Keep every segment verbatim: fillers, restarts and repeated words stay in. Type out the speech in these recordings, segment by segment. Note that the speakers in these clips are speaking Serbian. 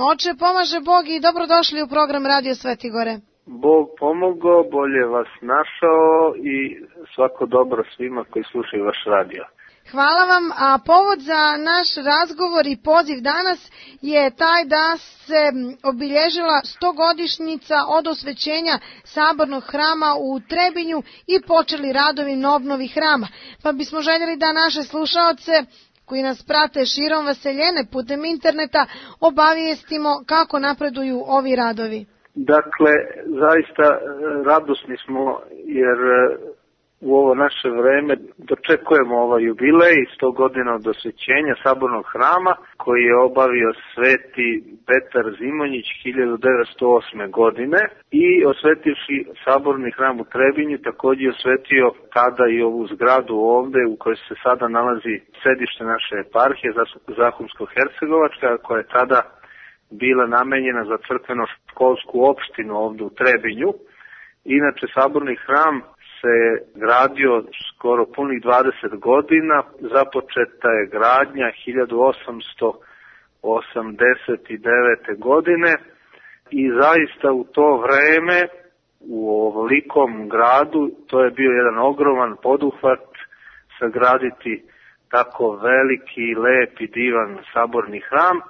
Oče, pomaže Bog i dobrodošli u program Radio Svetigore. Bog pomogao, bolje vas našao i svako dobro svima koji slušaju vaš radio. Hvala vam, a povod za naš razgovor i poziv danas je taj da se obilježila stogodišnjica od osvećenja Sabornog hrama u Trebinju i počeli radovi na obnovi hrama. Pa bismo željeli da naše slušaoce koji nas prate širom Vaseljene putem interneta obavijestimo kako napreduju ovi radovi. Dakle, zaista radosni smo jer u ovo naše vreme dočekujemo ovaj jubilej, sto godina od osvećenja Sabornog hrama koji je obavio sveti Petar Zimonjić hiljadu devetsto osme. godine i osvetivši Saborni hram u Trebinju također je osvetio tada i ovu zgradu ovde u kojoj se sada nalazi sedište naše eparhije Zahumsko-Hercegovačka, koja je tada bila namenjena za crkveno-školsku opštinu ovde u Trebinju. Inače, Saborni hram se gradio skoro punih dvadeset godina, započeta je gradnja hiljadu osamsto osamdeset devete. godine i zaista u to vreme u ovolikom gradu to je bio jedan ogroman poduhvat sagraditi tako veliki, lep i divan Saborni hram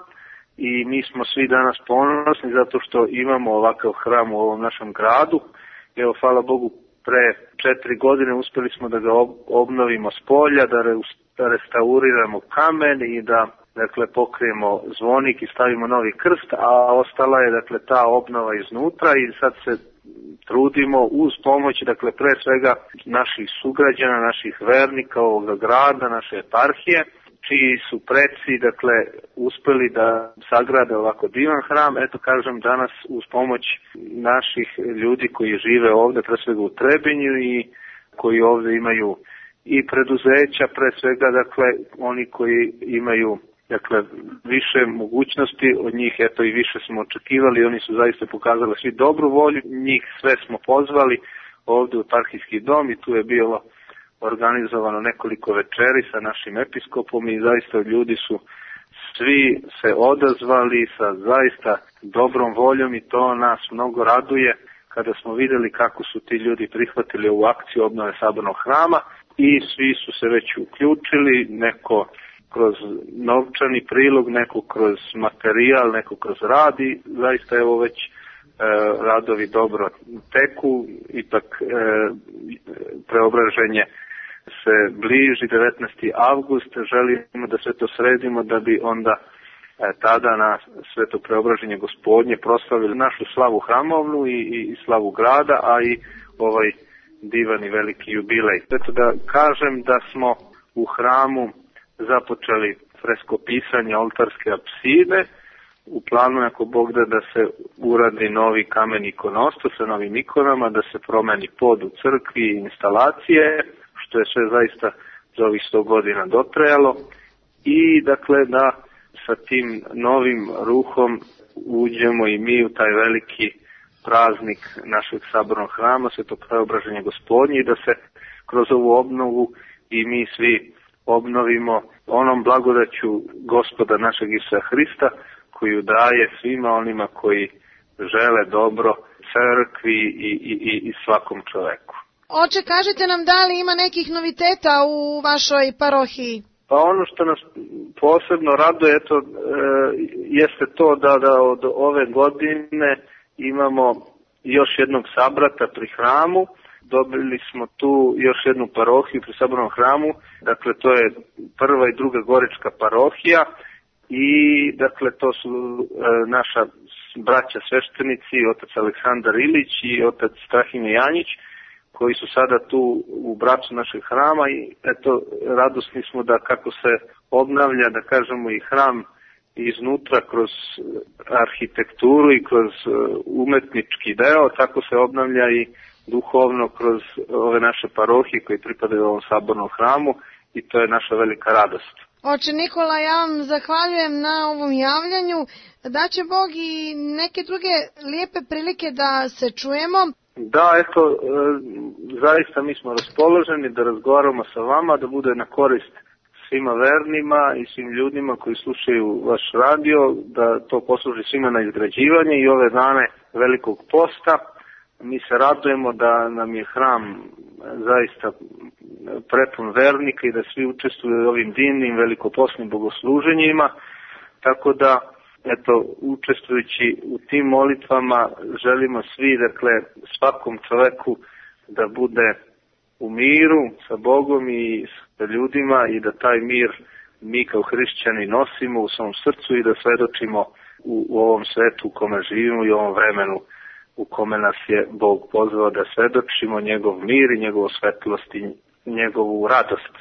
i mi smo svi danas ponosni zato što imamo ovakav hram u ovom našem gradu. Evo, hvala Bogu, pre četiri godine uspeli smo da ga obnovimo s polja, da restauriramo kamen i da dakle pokrijemo zvonik i stavimo novi krst, a ostala je dakle ta obnova iznutra i sad se trudimo uz pomoć dakle pre svega naših sugrađana, naših vernika ovoga grada, naše eparhije, čiji su preci dakle uspeli da sagrade ovako divan hram. Eto, kažem, danas uz pomoć naših ljudi koji žive ovde, pre svega u Trebinju i koji ovde imaju i preduzeća, pre svega dakle oni koji imaju dakle više mogućnosti od njih, eto i više smo očekivali, oni su zaista pokazali svi dobru volju, njih sve smo pozvali ovde u eparhijski dom i tu je bilo organizovano nekoliko večeri sa našim episkopom i zaista ljudi su svi se odazvali sa zaista dobrom voljom i to nas mnogo raduje kada smo videli kako su ti ljudi prihvatili ovu akciju obnove Sabornog hrama i svi su se već uključili, neko kroz novčani prilog, neko kroz materijal, neko kroz rad i zaista evo već e, radovi dobro teku, ipak e, preobraženje se bliži, devetnaesti avgust, želimo da sve to sredimo da bi onda e, tada na sveto preobraženje Gospodnje proslavili našu slavu hramovnu i, i, i slavu grada, a i ovaj divan i veliki jubilej. Eto da kažem da smo u hramu započeli freskopisanje oltarske apside, u planu ako Bog da da se uradi novi kamen ikonostas sa novim ikonama, da se promeni pod u crkvi i instalacije, što je sve zaista za ovih sto godina dotrajalo i dakle da sa tim novim ruhom uđemo i mi u taj veliki praznik našeg Sabornog hrama, sveto preobraženje Gospodnje i da se kroz ovu obnovu i mi svi obnovimo onom blagodaću Gospoda našeg Isusa Hrista koju daje svima onima koji žele dobro crkvi i, i, i svakom čoveku. Oče, kažite nam da li ima nekih noviteta u vašoj parohiji? Pa ono što nas posebno raduje eto, e, jeste to da, da od ove godine imamo još jednog sabrata pri hramu. Dobili smo tu još jednu parohiju pri Sabornom hramu, dakle to je prva i druga gorička parohija i dakle to su e, naša braća sveštenici, otac Aleksandar Ilić i otac Strahimir Janjić, koji su sada tu u bracu našeg hrama i eto radosni smo da kako se obnavlja, da kažemo i hram iznutra kroz arhitekturu i kroz umetnički deo, tako se obnavlja i duhovno kroz ove naše parohije koji pripadaju ovom Sabornom hramu i to je naša velika radost. Oče Nikola, ja vam zahvaljujem na ovom javljanju. Da će Bog i neke druge lijepe prilike da se čujemo. Da, eto, e, zaista mi smo raspoloženi da razgovaramo sa vama, da bude na korist svima vernima i svim ljudima koji slušaju vaš radio, da to posluži svima na izgrađivanje i ove dane Velikog posta. Mi se radujemo da nam je hram zaista prepun vernika i da svi učestvuju u ovim divnim velikoposnim bogosluženjima, tako da eto, učestvujući u tim molitvama želimo svi, dakle, svakom čoveku da bude u miru sa Bogom i sa ljudima i da taj mir mi kao hrišćani nosimo u svom srcu i da svedočimo u, u ovom svetu u kome živimo i u ovom vremenu u kome nas je Bog pozvao da svedočimo njegov mir i njegovu svetlost i njegovu radost.